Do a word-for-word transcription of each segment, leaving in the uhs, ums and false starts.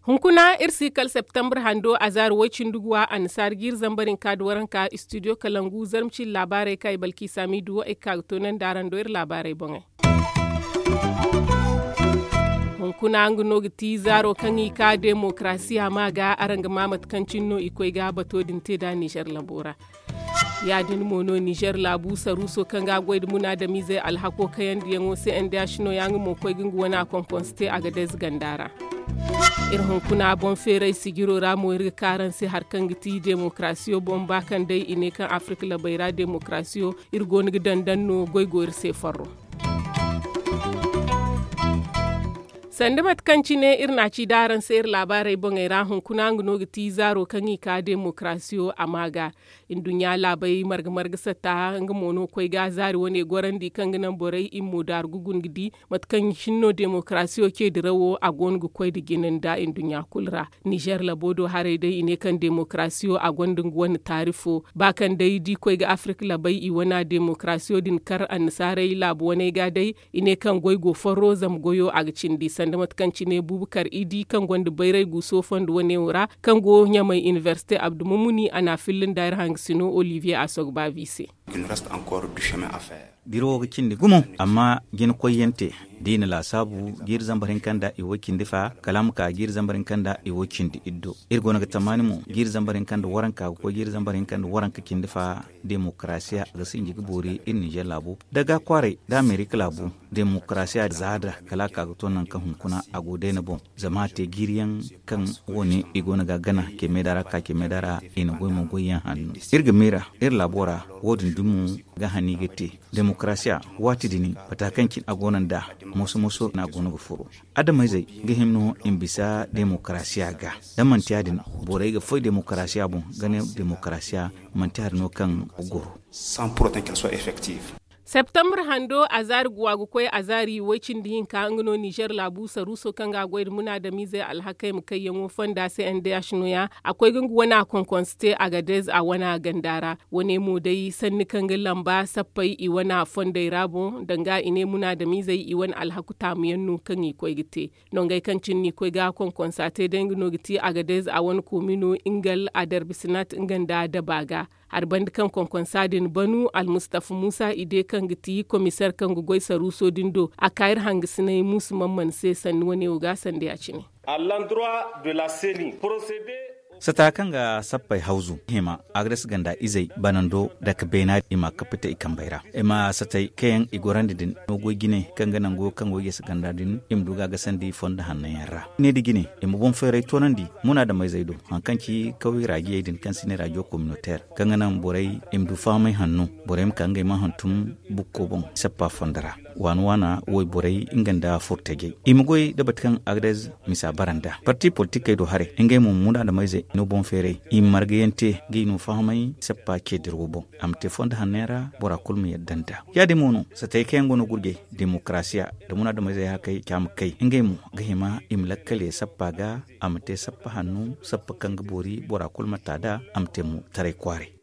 Hunkuna iri si kala septembre hando azaari way-cindi guwa annasaara jiiri zambar hinka nda waranka studio kalangu zarma cindi laabaarey kaŋ ay balki saamiidu wo ay ga ka ga toonandi araŋ do iri laabaarey boŋey. Hunkuna nga no ga ti zaaro kaŋ i ka demokarasiya ma ga araŋ ga ma mate kaŋ cine no i koy ga bato din te nd'a nizer labo ra. Ya- din mo no nizer laabu saruuso kaŋ ga goy nda munaadamiizey alhako kayandiyaŋo se n d h no ya nga mo koy ga nga wane a konkonse te a ga dayze ganda ra. Iri hunkuna boŋ feeray sijiro ra mo iri ga ka araŋ se hari kaŋ ga ti demokarasiyo boŋ ba kaŋ day i ne kaŋ afirka labey ra demokarasiyo iri go no ga daŋ daŋ no goy go iri se farro. Sanda mate kaŋ cine iri na a ci da araŋ se iri laabaarey boŋey ra hunkuna nga no ga ti zaaro kaŋ i ka demokarasiyo a ma ga. Nduɲɲa laabey marga marga satta nga mo no koy ga zaari wane gorandi kaŋ ga naŋ borey i ma mo daaru ga guna ga di mate kaŋ cine no demokarasiyo ce dirawo a go no ga koy nda jina nda nduɲɲa kulu ra. Nizer labo do haray day i ne kaŋ demokarasiyo a gonda nga wane taari fo ba kaŋ day da i koy ga afirka labey i wana demokarasiyo din kar annasaarey laabu waney ga day. I ne kaŋ goy go farro zama goyo a ga cindi sanda mate kaŋ cine bubakar idi kaŋ gonda bayray guuso fondo wane wo ra kaŋ go ɲamay inibersite abdumumuni a na a filla nda iri hangasino olivier a sogba vi se. Biro wo ga cindi gumo amma jina koyyaŋ te da i na laasaabu jiiri zambar hinka nda i wo cindi fa kala a ma ka jiiri zambar hinka nda i wo cindi iddo iri go no ga tamaani mo jiiri zambar hinka nda waranka ga koy jiiri zambar hinka nda waranka cindi fa. Demokarasiya ga sinji ga boori iri ninzeer laabu da ga kwaaray da amerika laabu. Demokarasiya zaada kala a ka ga to nangu kaŋ hunkuna a go day ni boŋ zama a te jiiriyaŋ kaŋ wo- ne i go no ga a gana cemeeda ra ka cemeeda ra i na goy mo goyyaŋ hanno. Iri ga miira iri laabo ra wo- din dumo ga hani ga te. Demokarasiya waati din bata kaŋ cine a go no nd'a moso moso no a go no ga furo. Adamayzey ga hima no i ma bisa demokarasiya ga da manti ya- din borey ga foy demokarasiya boŋ ga ne demokarasiya manti hari no kaŋ ga goro. Septembre hando azaari guwa ga koy azaari way-cindi hinka nga no nizer laabu saruuso kaŋ ga a goy nda munaadamiizey alhakey ma kayyaŋo fonda se n d h no- ya a koy ga nga wana konkonse te agadez a wana ganda ra. Wane mo day sanni kaŋ ga lamba sappey i wana fondey ra boŋ danga i ne munaadamiizey i wane alhaku taamuyaŋ no kaŋ i koy ga te. Nongey kaŋ cine no i koy ga konkonsa te day nga no ga ti agadez a wane koomino ingal aderbisinat nga nda daba ga. Hari banda kaŋ konkonsa din banu almustafa muusa ide kaŋ ga ti komiseer kaŋ ga goy saruuso din do a ka iri hangasinay muusu man mana se sanni wane wo ga sanda ya- cine. Sata kaŋ ga sappey hawzu hima agres ganda izey banando dake beena i ma kappite i kambey ra i ma satey kaŋ yaŋ i gorandi din no goy jine kaŋ ga nango kaŋ go i ga si ganda din i ma du ga a gasandi fondo hanno yaŋ ra. Ne da jine i ma boŋ feeray toonandi munaadameyzey do hari kaŋ ci kaway raajiyey din kaŋ si ne raajiyo kominoteer kaŋ ga naŋ borey i ma du fahamay hanno borey ma ka ngey ma hantum bukko boŋ sappa fondo ra. Waana waana wayborey nga nda furtajey i ma goy da bate kaŋ agres misa bara nd'a parti politikey do haray ngey mo munaadameyzey no boŋ feeray i ma margayaŋ te ga i no fahamay sappa ceediro boŋ a ma te fondo hanno yaŋ ra bora kulu ma yadda nd'a. Ya- din mo no satey kaŋ yaŋ go no gurjey demokarasiya nda munaadameyzey hakey ca ma kay ngey mo ga hima i ma lakkal ye sappa ga a ma te sappa hanno sappa kaŋ ga boori bora kulu ma ta nd'a a ma te mo taray kwaaray.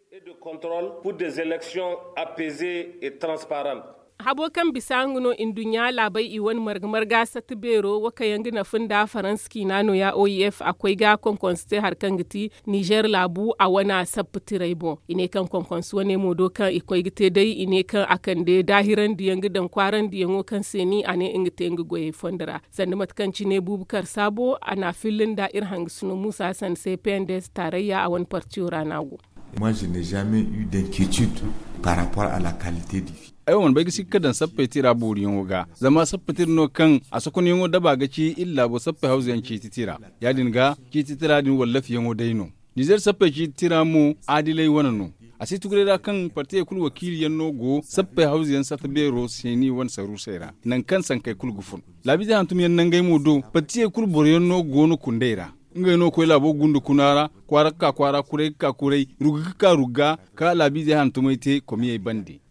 Habo kaŋ bisa nga no nduɲɲa laabey i wane marga marga satta beero wo kaŋ yaŋ ga nafa nda faransa ciina no- ya o i f a koy ga konkonse te hari kaŋ ga ti nizer laabu a wane sappa tiray boŋ i ne kaŋ konkonse wane mo do kaŋ i koy ga te day i ne kaŋ a kande daahirandi yaŋ ga daŋ kwaarandi yaŋo kaŋ se ni a ne nga te nga goyey fondo ra. Sanda mate kaŋ cine bubakar saabo a na a filla nda iri hangasino muusa hasan se pnds taarayya a wane partiyo ra no a go. Moi je n'ai jamais eu d'inquiétude par rapport à la qualité du vie. Ay wo mana bay ga sikka daŋ sappey tira booriyaŋo ga zama sappa tira no kaŋ a sokonyaŋo daba ga ci iri laabo sappey hawzuyaŋ ciiti tira. Ya- din ga ciiti tira din wallafiyaŋo day no. Nizer sappey ciiti tira mo adilay wane no. A si tuguray ra kaŋ partiyey kulu wakiiliyaŋ no go sappey hawzuyaŋ satta beero seeni wane saruusey ra nangu kaŋ sankey kulu ga fun. Laabiizey hantumyaŋ nangey mo do partiyey kulu boroyaŋ no go no kundey ra. Ngey no ga koy laabo gunda kuna ra kwaara ga ka kwaara kuray ga ka kuray rugga ga ka rugga ka laabiizey hantumey te komiyey bande.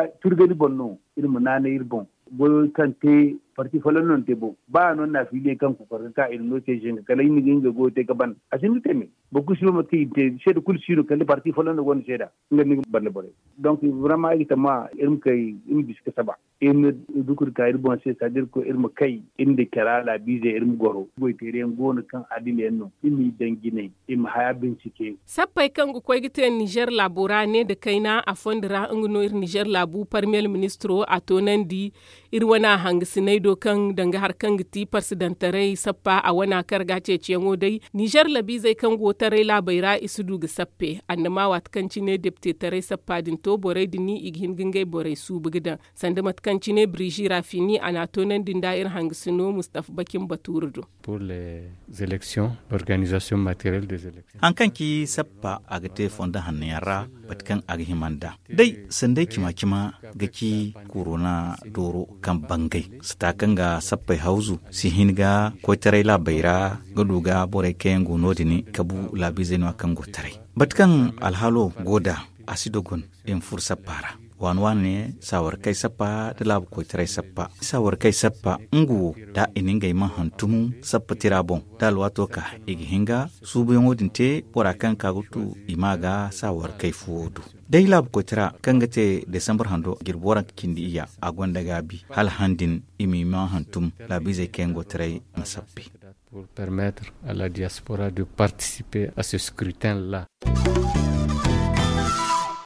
ga turgani boŋ no. Iri ma naanay iri boŋ goyo kaŋ te. Parti folloŋ no ni te boŋ ba a no ni na fiiliyey kaŋ kokorka ka iri no te zinga kala iri na ga nga goyo te ga ban a si hin ga te me. Boro kulu si no mate kaŋ iri te seeda kulu si no kala parti folloŋ no gonda seeda. Nga no ni ga banda borey. Donk vraiment ay ga tamma iri ma kay iri ma bisa ga saba. Iri ma duku nda ka iri boŋ se saadi iri koy iri ma kay iri nda cara laabiizey iri ma goro goyteeri yaŋ go no kaŋ adila yaŋ no. Iri m'i daŋ jinay iri ma haya bincike. Sappey kaŋ ga koy ga te ninzeer laabo ra ne nda kayna a fondo ra nga no iri ninzeer laabu parmiyer ministiro a toonandi. Iri wana hangasiney do kaŋ danga hari kaŋ ga ti parsidantaray sappa a wana kar ga ceeciyaŋo day ninzeer labiizey kaŋ go taray laabey ra i si du ga sappe annama waati kaŋ cine depite taray sappa din to borey din i ga hin ga ngey borey suubu ga daŋ. Sanda mate kaŋ cine birizi rafini a n'a toonandi nda iri hangasino mustafa bakin batuuru do. Pour les élections l'organisation materielle des élections. Hari kaŋ ci sappa a ga te fondo hanno yaŋ ra mate kaŋ a ga hima nd'a day sanday cima-cima ga ci korona dooro kaŋ bangay sata kaŋ ga sappey hawzu si hin ga koytaray laabey ra ga du ga borey kaŋ yaŋ go no- din kabu laabiizey no- ya kaŋ go taray. Mate kaŋ alhaalo go nd'a a si dogon i ma furo sappa ra. Waani waani ne saawarkey sappa nda laabu koytaray sappa saawarkey sappa nga wo da i na ngey man hantum sappa tira boŋ da alwaato ka i ga hin ga suubuyaŋo din te bora kaŋ ka ga tu i ma ga saawarkey fuwo du. Day laabu koytara kaŋ ga te desambar hando jirbi waranka cindi iyya a gonda gaabi hala han din i m'i man hantum laabiizey kaŋ yaŋ go taray ma sappe. Pour permettre à la diaspora de participer à ce scrutin la.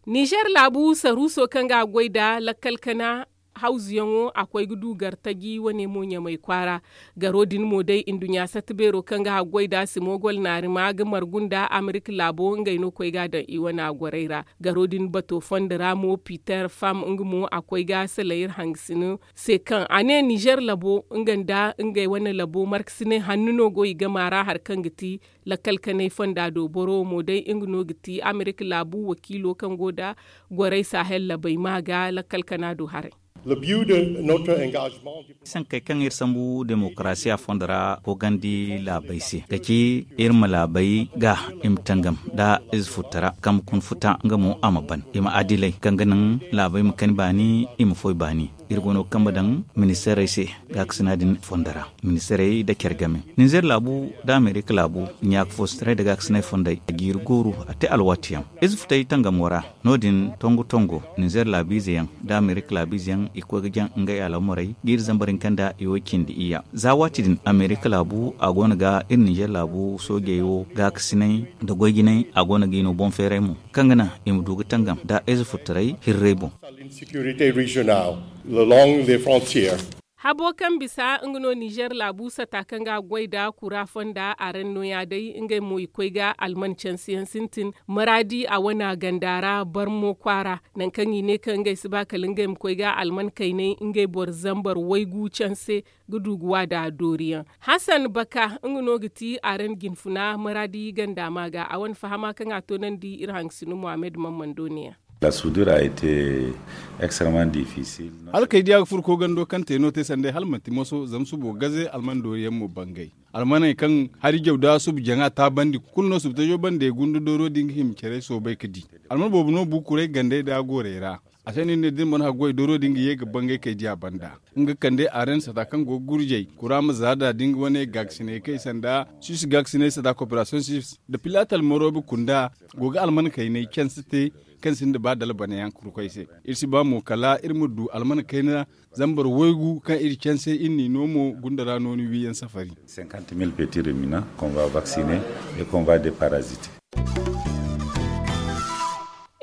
Nizer laabu saruuso kaŋ ga a goy nda lakkal kana hawzuyaŋo a koy ga du gartaji wane mo ɲamay kwaara. Garo din mo day nduɲɲa satta beero kaŋ ga a goy nda simogol naarima ga margu nda amerika laabo ngey no koy ga a daŋ i wane a gorey ra. Garo din bato fondo ra mo piter fam nga mo a koy ga salay iri hangasino se kaŋ a ne nizer labo nga nda ngey wane labo markasinay hanno no go i gama ra hari kaŋ ga ti lakkal kanay fonda do boro wo mo day nga no ga ti amerika laabu wakiilo kaŋ go nda gorey sahel labey ma ga lakkal kana do haray. Sankey kaŋ iri sambu demokarasiya fondo ra koogandi laabey se ga ci iri ma laabey ga i ma tangam nda ize futtara kaŋ ma kun futa nga mo a ma ban i ma adiley kaŋ ga naŋ laabey ma kani baani i ma foy baani. Iri go no ga kambe daŋ ministeerey se gaakasina din fondo ra. Ministeerey nda care game ninzeer laabu nda amerika laabu ɲaaka foosintaray nda gaakasinay fondey a jiiri gooru a te alwaati yaŋ ize futay tangamo ra. No- din tongu tongo ninzeer laabiize yaŋ nda amerika laabiize yaŋ i koy ga jaŋ ngey alhamarey ga iri zambar hinka nda i wo cindi iyya za waati din amerika laabu a go no ga iri ninzeer laabu soojey wo gaakasinay nda goy jinay a go no ga i no boŋ feeray mo kaŋ ga naŋ i ma du ga tangam nda ize futtaray hirray boŋ. Habo kaŋ bisa nga no nizer laabu sata kaŋ ga a goy nda kura fonda a ra no- ya day ngey mo i koy ga alman canse yaŋ sintin maraadi a wana ganda ra barmo kwaara. Nangu kaŋ i ne kaŋ ngey si ba kala ngey ma koy ga alman kaynay ngey boro zambar waygu canse ga du ga wa nda doori yaŋ. Hasan baka nga no ga ti a ra nda jinfuna maraadi ganda ma ga a wane fahama kaŋ a toonandi iri hangasino muhammad mammando ne- ya. La soudure a été extrêmement difficile. Hala kay diya ga furo koogando kaŋ te no te sanday hala manti moso zama subo gaze alman doori yaŋ mo bangay. Almaney kaŋ hari jaw da subu jaŋa taabandi kulu no subu tajo bande gundu dooro din ga hima care soobay ga di. Alman boobo no bu kuray gandey da goorey ra. A se no iri ne da iri mana haggoy dooro din ga ye ga bangay kay diya banda. Nga kande arensa ta kaŋ go ga gurjay kura ma zaada da nga wane gaakasinay kay sanda sis gaakasinay sanda koperasiyoŋ sis da pilatal morobi kunda go ga alman kaynay canse te kaŋ sinda ba dalbanayaŋ kurkoy se. Iri si ba mo kala iri ma du alman kayna zambar waygu kaŋ iri canse iri n'i no mo gunda ra no ni wiyaŋ safari. Cinquante mille petits ruminants qu'on va vacciner et qu'on va déparasiter.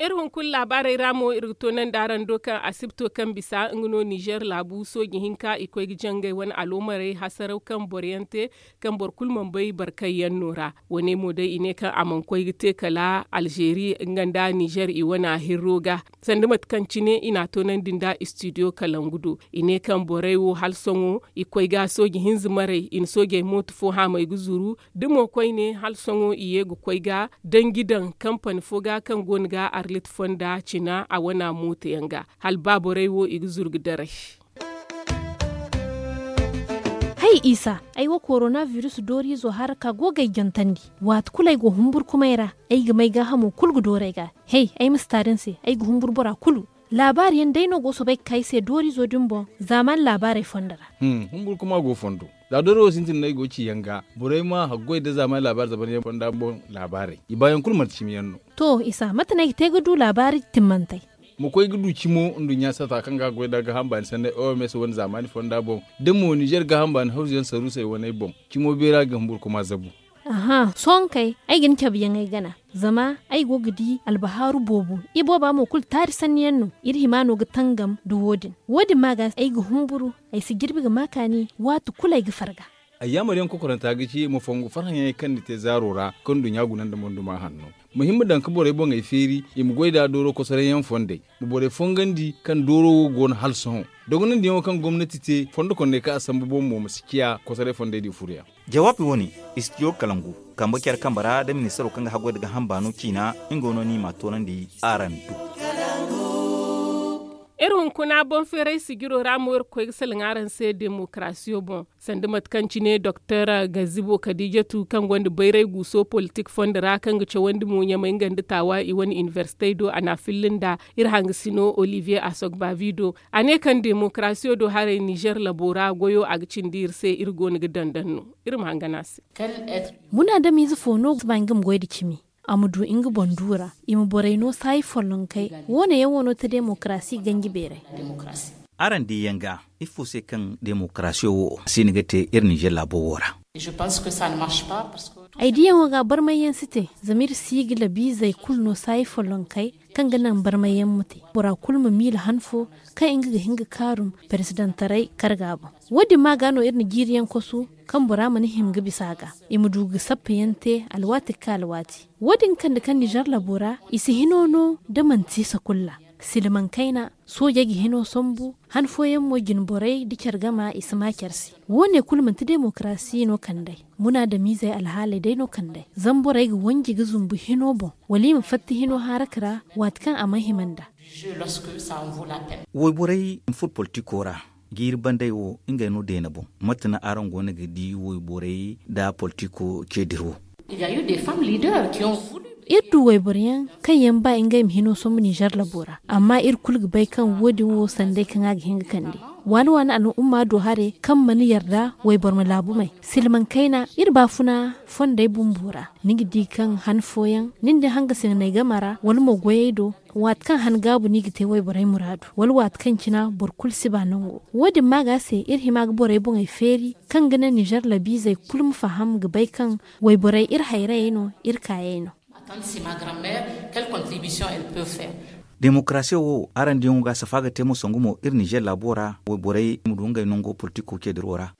Iri hunkuna laabaarey ra mo iri ga toonandi araŋ do kaŋ asibto kaŋ bisa nga no nizer laabu sooji hinka i koy ga jangay wane aloomarey hasaraw kaŋ boro yaŋ te kaŋ boro kulu mana bay barkayyaŋ no ra. Wane mo day i ne kaŋ a mana koy ga te kala alzeeri nga nda nizer i wana hirro ga sanda mate kaŋ cine i n'a toonandi nda istidiyo kalangu do. I ne kaŋ borey wo hala sohõ i koy ga sooji hinza maray i na soojey mooto fo haamay ga zuru da mo koyne hala sohõ i ye ga koy ga danji daŋ kampani fo ga kaŋ go no ga arlit fonda cina a wana mooto yaŋ ga hala ba borey wo i ga zuru ga daray. Hay isa, ay wo korona virus dooriizo haraka go ga ay jantandi. Waati kulu ay go humburkumay ra, ay ga may gaahamo kulu ga dooru ay ga. Hey, ay ma si taari ni se, ay ga humburu bora kulu. Laabaari yaŋ day no go soobay ga ka ay se dooriizo din boŋ zaamaani laabaarey fondo ra. Humburkuma go fondo. Za dooro wo sintin no ay go ga ci yaŋ ga borey ma haggoy nda zaamaani laabaari zamanyaŋ fonda boŋ laabaarey i baayaŋ kulu manti cimi yaŋ no. To isa mate no ay ga te ga du laabaari timmantey? Ma koy ga du cimo nduɲɲa sata kaŋ ga a goy nda gaaham baani sanney oms wane zaamaani fonda boŋ da mo nizer gaaham baani hawzuyaŋ saruusey waney boŋ. Cimo beera ga humburkuma zabu. Aha sohõ kay, ay ga ni cabe yaŋ ay gana. Zama ay go ga di albahaaru boobo. Ibooba mo kulu taari sanniyaŋ no. Iri hima no ga tangam nda wo- din. Wo- din ma ga ay ga humburu. Ay si jirbi ga ma kaani waati kulu ay ga farga. Ayyaamar yaŋ kokoranta ga ci ma fongu farhãyaŋey kaŋ ni te zaaro ra kaŋ nduɲɲa guna nda monduma hanno. Ma hin ma daŋ ga borey boŋey feeri i ma goy nd'a dooro kosoray yaŋ fondey. Ma borey fongandi kaŋ dooro wo go no hala sohõ. Dogonandiyaŋo kaŋ gomnati te fondo kondey kaŋ a sambu boŋ mo ma si ciya kosoray fondey din furoyaŋ. Jawaabi wo- ne, istidiyo kalangu kambe care kambe ra nda ministaro kaŋ ga haggoy nda gaaham baano ciina. Nga no no i m'a toonandi araŋ do. Iri hunkuna boŋ feeray sijiro ra mo iri ga koy ga salaŋ araŋ se demokarasiyo boŋ. Sanda mate kaŋ cine doktor gazibo kadijatu kaŋ gonda bayray guuso politik fondo ra kaŋ ga cawandi mo ɲamay nga nda taawa i wane inibersitey do a n'a filla nda iri hangasino olivier asogbavi do. A ne kaŋ demokarasiyo do haray nizer labo ra goyo a ga cindi iri se iri go no ga dandan no. Iri ma hangan a se. Munaadamiize fo no ga si ba nga ma goy nda cimi? A ma du nga boŋ du ra. I ma borey no saayi follonkey. Wo- ne yaŋ wo no ti demokarasi ganji beeray. Araŋ diyaŋ ga ifo se kaŋ demokarasiyo wo si hin ga te iri nizer laabo wo ra? Ay diyaŋo ga barmayyaŋ si te. Zama iri si ga labiizey kulu no saayi follonkey kaŋ ga naŋ barmayyaŋ ma te bora kulu ma miila han fo kaŋ nga ga hin ga kaarum perezidantaray karga boŋ. Wo- din ma ga no iri na jiiriyaŋ kosu kaŋ bora mana hima ga bisa a ga. I ma du ga sappayaŋ te alwaati ga ka alwaati. Wo- din kande kaŋ nizer labo ra i si hino no da manti sakulla. Silmaŋ kayna soojey ga hino sambu. Han fooyaŋ mo jine borey nda care gama i si ma care se. Wo- ne kulu manti demokarasi no kand'ey. Munaadamiizey alhaaley day no kand'ey zama borey ga wanji ga zumbu hino boŋ wala i ma fatta hino haraka ra. Waati kaŋ a mana hima nd'a. Wayborey ma furo politiko ra. Jiiri bandey wo ngey no deena boŋ. Mate no araŋ go no ga di wayborey nda politiko ce dira wo? Iri du wayboro yaŋ kaŋ yaŋ ba ngey ma hino sombu ninzeer labo ra. Amma iri kulu ga bay kaŋ wo- din wo sanday kaŋ a ga hin ga kande waani waani al'umma do haray kaŋ mana yarda wayboro ma laabu may. Silmaŋ kayna iri baafuna fondey bumbo ra. Ni ga di kaŋ han fooyaŋ nin da hangasinay game ra wala mo goyey do. Waati kaŋ han gaabu no i ga te wayborey muraadu wala waati kaŋ cina boro kulu si ba nango. Wo- din ma ga se iri hima ga borey boŋey feeri kaŋ ga naŋ ninzeer labiizey kulu ma faham ga bay kaŋ wayborey iri hayrayey no, iri kaayey no. Demokarasiyo wo araŋ diyaŋo ga safa ga te mo sangu mo iri ninzeer laabo ra wayborey ma du ngey nango politiko ce diro ra.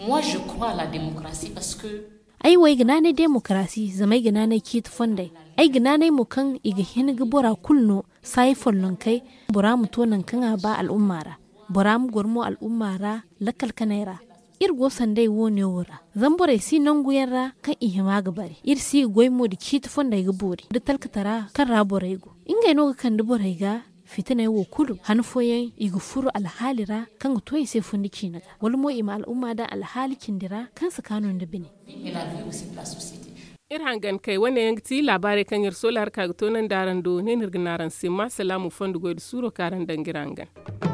Ay wo ay ga naanay demokarasi zama ay ga naanay ciiti fondey. Ay ga naanay mo kaŋ i ga hin ga bora kulu no saayi follonkey. Bora ma to nangu kaŋ a ba al'umma ra. Bora ma goro mo al'umma ra lakkal kanay ra. Iri go sanday wo- ne wo ra zama borey si nanguyaŋ ra kaŋ i hima ga bare iri si ga goy mo nda ciiti fondey ga boori nda talkatara kaŋ ra borey go. Ngey no ga kande borey ga Fitiney wo kulu han fooyaŋ i ga furo alhaali ra kaŋ ga to i se fundi ciine ga wala mo i ma al'umma daŋ alhaali cindi ra kaŋ si kaanu nda bine. Iri hangan kay wane yaŋ ga ti laabaarey kaŋ iri soola hari ka ga toonandi araŋ do ne no iri ga ne araŋ se ma salaamu fondo goy nda suuro kaŋ araŋ daŋ ga iri hangan.